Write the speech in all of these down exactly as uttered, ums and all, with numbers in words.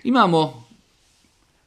Imamo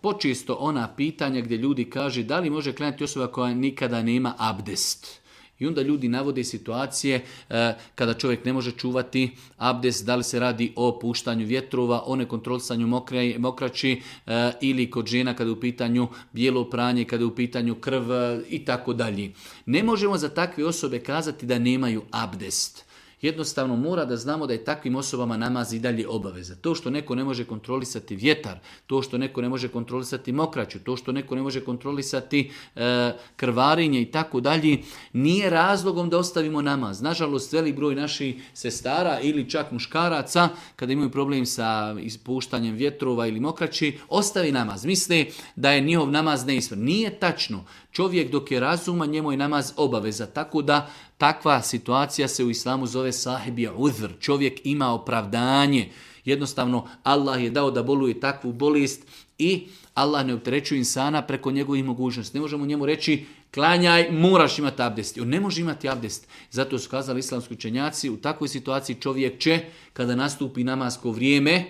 počesto ona pitanja gdje ljudi kaže da li može klanjati osoba koja nikada nema abdest. I onda ljudi navode situacije e, kada čovjek ne može čuvati abdest, da li se radi o puštanju vjetrova, o nekontrolisanju mokre, mokraći e, ili kod žena kada je u pitanju bijelo pranje, kada je u pitanju krv e, i tako dalje. Ne možemo za takve osobe kazati da nemaju abdest. Jednostavno mora da znamo da je takvim osobama namaz i dalje obaveza. To što neko ne može kontrolisati vjetar, to što neko ne može kontrolisati mokraću, to što neko ne može kontrolisati e, krvarenje i tako dalje, nije razlogom da ostavimo namaz. Nažalost, velik broj naših sestara ili čak muškaraca, kada imaju problem sa ispuštanjem vjetrova ili mokraći, ostavi namaz. Misle da je njihov namaz neispravan. Nije tačno. Čovjek dok je razuman, njemu je namaz obaveza. Tako da takva situacija se u islamu zove sahibija udhr. Čovjek ima opravdanje. Jednostavno, Allah je dao da boluje takvu bolest i Allah ne opterećuje insana preko njegovih mogućnosti. Ne možemo njemu reći klanjaj, moraš imati abdest. On ne može imati abdest. Zato su kazali islamski učenjaci, u takvoj situaciji čovjek će, kada nastupi namasko vrijeme,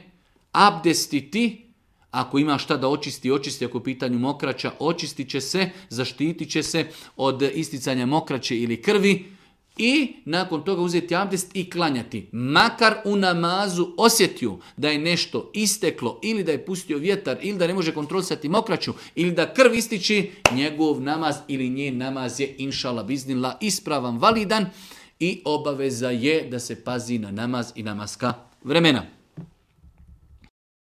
abdestiti. Ako ima šta da očisti, očisti. Ako u pitanju mokraća, očistit će se, zaštitit će se od isticanja mokraće ili krvi i nakon toga uzeti abdest i klanjati. Makar u namazu osjetio da je nešto isteklo ili da je pustio vjetar ili da ne može kontrolisati mokraću ili da krv ističi, njegov namaz ili njen namaz je inšala biznila ispravan, validan i obaveza je da se pazi na namaz i namaska vremena.